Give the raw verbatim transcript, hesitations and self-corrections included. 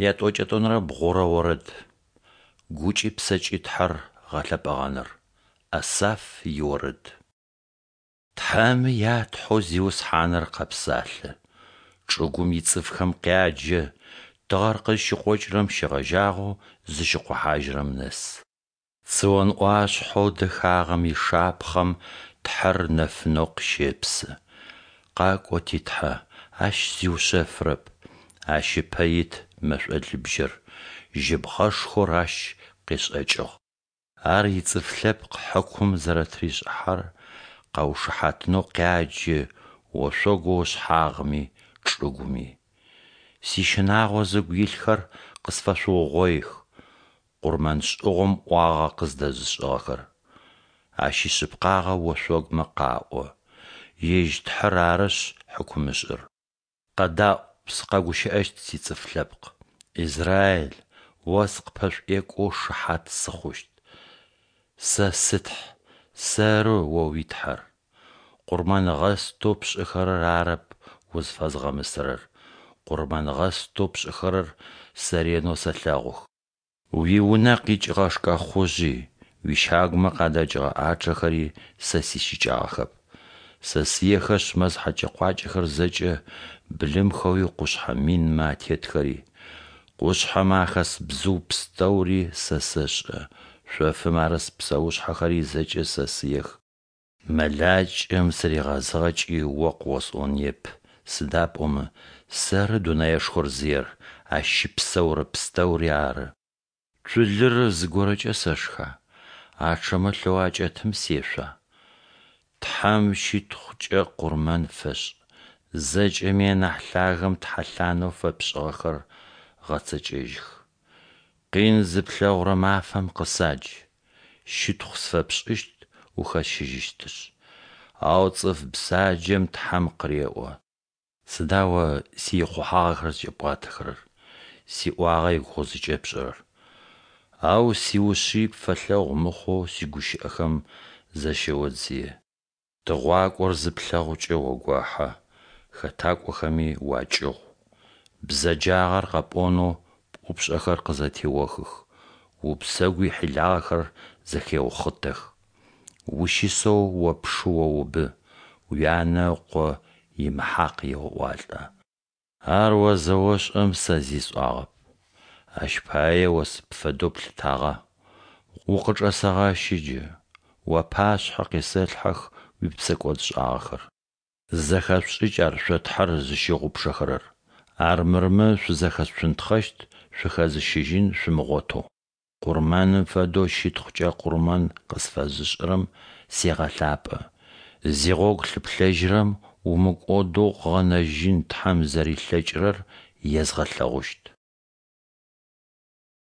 Ятӏокӏэ тӏонэрэ бгъурэ орэд. Гукӏи псэкӏи Тхьэр гъэлъэпӏэгъэныр. Асаф иорэд. Тхьэмэ я Тхьэу Зиусхьаныр къэпсалъэ, чӏыгум ицӏыфхэм къяджэ, тыгъэр къызщыкъокӏырэм щегъэжьагъэу зыщыкъохьажьырэм нэс. Цион ӏуашъхьэу дэхагъэм ишапхъэм Тхьэр нэфынэу къыщепсы. Къакӏо, ти Тхьэ, Ащ зиушъэфырэп, Ащ ыпэ ит мэшӏолыбжьэр, жьыбгъэшхор Ащ къешӏэкӏыгъ. Ар ицӏыф лъэпкъ хьыкум зэрэтыришӏыхьэрэр къаушыхьатынэу къяджэ ошъогоу ышъхьагъми, чӏыгуми. Сищынагъо зыгу илъхэр къысфэшъуугъоих, къурмэншӏыгъом ӏуагъэ къыздэзышӏыгъэхэр. Ащ ишъыпкъагъэ ошъогумэ къаӏо, Ежь Тхьэр арышъ хьыкумышӏыр. Къэдаӏу, сыкъэгущыӏэщт, сицӏыф лъэпкъ! Израиль, о сыкъыппэшӏуекӏоу шыхьат сыхъущт. Сэ сы Тхь, сэры о уи Тхьэр. Къурмэнгъэстэу пшӏыхэрэр арэп узфэзгъэмысэрэр, къурмэнгъэстэу пшӏыхэрэр Сэ ренэу сэлъэгъух. Уиунэ къикӏыгъэ шкӏэхъужъи, уищагумэ къадэкӏыгъэ ӏачъэхэри Сэ сищыкӏагъэхэп. Сэ сыехэшъ мэз хьэкӏэ-къуакӏэхэр зэкӏэ, былымхэуи къушъхьэ минмэ атетхэри. Къушъхьэмэ ахэс бзыу пстэури Сэ сэшӏэ, шъофым арыс псэушъхьэхэри зэкӏэ Сэ сыех. Мэлакӏэм сыригъэзыгъэкӏи о къыосӏоныеп, сыда пӏомэ сэры дунаишхор зыер, ащ щыпсэурэ пстэури ары. Цулыр зыгорэкӏэ сэшха? Ачъэмэ лъэу акӏэтым сешъуа? Тхьэм щытхъукӏэ къурмэн фэшӏ, Зэкӏэми анахь Лъагэм тхьэлъанэу фэпшӏыгъэхэр гъэцэкӏэжьых. Къин зыплъэгъурэ мафэм къысадж, щытхъу сфэпшӏыщт ухэсщыжьыщтышъ. Ау цӏыф бзаджэм Тхьэм къыреӏо: Сыда о сиихъухьагъэхэр зыкӏэпӏуатэхэрэр, сиӏуагъэ игугъу зыкӏэпшӏырэр? Ау сиушъый пфэлъэгъу мыхъоу сигущыӏэхэм защэодзые. Тыгъуакӏор зыплъэгъукӏэ огохьэ, хэтакӏохэми уакӏыгъу. Бзэджагъэр къэпӏонэу пӏупшӏэхэр къызэтеохых, убзэгу ихьилагъэхэр зэхеухъытэх. Ущысэу о пшы оубы, уянэ ыкъо имыхьакъ еоӏуалӏэ. Ар о зэошӏэм сэ зи сӏуагъэп. Ащ пае о сыпфэдэу плъытагъа? Укъычӏэсэгъэщы джы, уапашъхьэ къисэлъхьэх уипсэкӏодшӏагъэхэр. Зэхэшъушӏыкӏ ар шъо Тхьэр зыщыгъупшэхэрэр, армырмэ шъузэхэцунтхъэщт, шъухэзыщыжьын шъумыгъотэу. Къурмэным фэдэу щытхъукӏэ къурмэн къысфэзышӏырэм сегъэлъапӏэ. Зигъогу лъыплъэжьырэм умыкӏодэу укъыгъэнэжьын Тхьэм зэрилъэкӏырэр езгъэлъэгъущт.